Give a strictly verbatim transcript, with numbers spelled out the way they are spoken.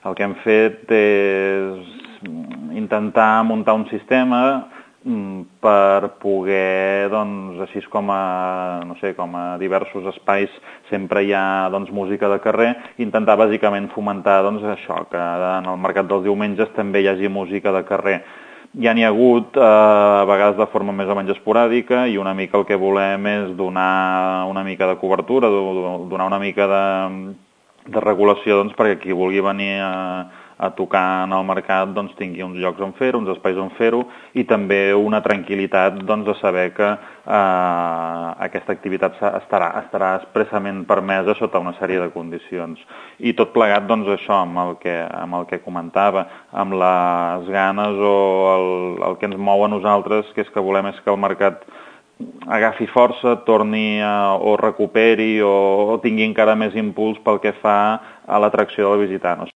El que hem fet és intentar muntar un sistema per poder, doncs, així com a, no sé, com a diversos espais sempre hi ha, doncs, música de carrer, intentar bàsicament fomentar, doncs, això, que en el mercat dels diumenges també hi hagi música de carrer. Ja n'hi ha hagut, eh, a vegades de forma més o menys esporàdica, i una mica el que volem és donar una mica de cobertura, donar una mica de, de regulació, doncs, perquè qui vulgui venir a a tocar en el mercat, doncs, tingui uns llocs on fer-ho, uns espais on fer-ho, i també una tranquil·litat, doncs, de saber que eh, aquesta activitat estarà, estarà expressament permesa sota una sèrie de condicions. I tot plegat, doncs, això, amb el que, amb el que comentava, amb les ganes o el, el que ens mou a nosaltres, que és que volem és que el mercat agafi força, torni a, o recuperi o, o tingui encara més impuls pel que fa a l'atracció del visitant.